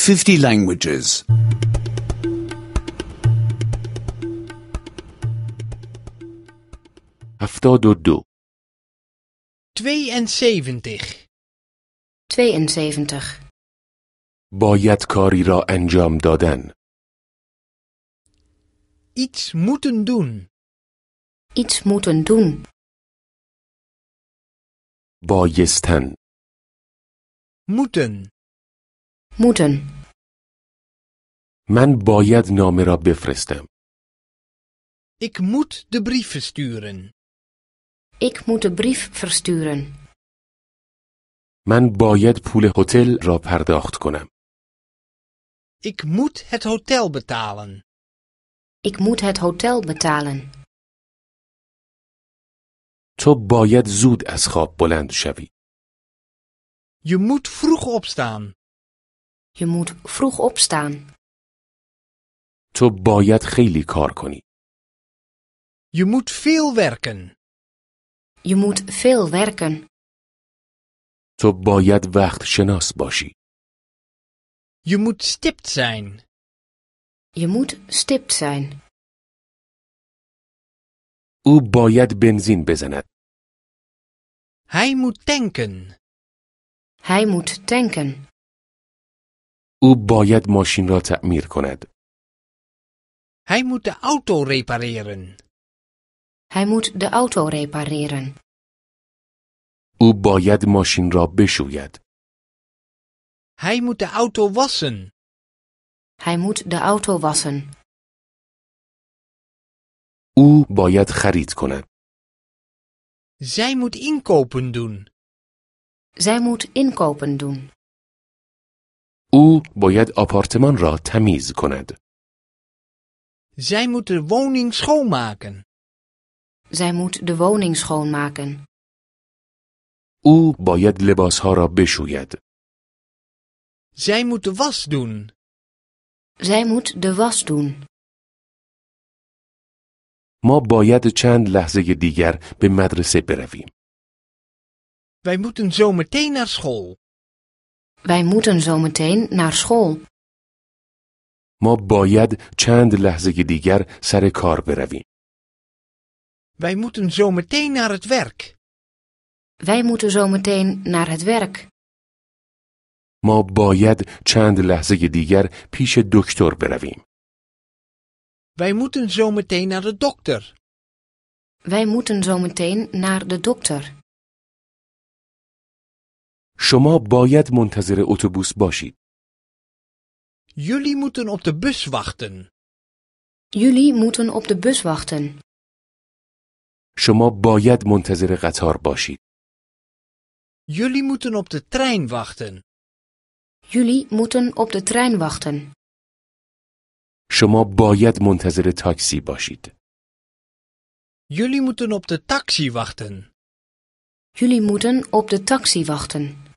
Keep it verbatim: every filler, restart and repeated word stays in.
fifty languages. هفتاد و دو. tweeënzeventig. tweeënzeventig. باید کاری را انجام دادن. Iets moeten doen. Iets moeten doen. بایستن. Moeten. Moeten. من باید نامه را بفرستم. Ik moet de brief versturen. Ik moet de brief versturen. من باید پول هتل را پرداخت کنم. Ik moet het hotel betalen. Ik moet het hotel betalen. تو باید زود از خواب بلند شوی. Je moet vroeg opstaan. Je moet vroeg opstaan. تو باید خیلی کار کنی. Je moet veel werken. Je moet veel werken. تو باید وقت شناس باشی. Je moet stipt zijn. Je moet stipt zijn. او باید بنزین بزند. Hij moet tanken. Hij moet tanken. او باید ماشین را تعمیر کند. Hij moet de auto repareren. Hij moet de auto repareren. او باید ماشین را بشوید. Hij moet de auto wassen. Hij moet de auto wassen. او باید خرید کند. Zij moet inkopen doen. Zij moet inkopen doen. او باید آپارتمان را تمیز کند. Zij moet de woning schoonmaken. Zij moet de woning schoonmaken. او باید لباسها را بشوید. Zij moet de was doen. Zij moet de was doen. ما باید چند لحظه دیگر به مدرسه برویم. Wij moeten zo meteen naar school. Wij moeten zo meteen naar school. ما باید چند لحظه دیگر سر کار برویم. Wij moeten zo meteen naar het werk. Wij moeten zo meteen naar het werk. ما باید چند لحظه دیگر پیش دکتر برویم. Wij moeten zo meteen naar de dokter. Wij moeten zo meteen naar de dokter. شما باید منتظر اتوبوس باشید. Jullie moeten op de bus wachten. Jullie moeten op de bus wachten. شما باید منتظر قطار باشید. Jullie moeten op de trein wachten. Jullie moeten op de trein wachten. شما باید منتظر تاکسی باشید. Jullie moeten op de taxi wachten. Jullie moeten op de taxi wachten.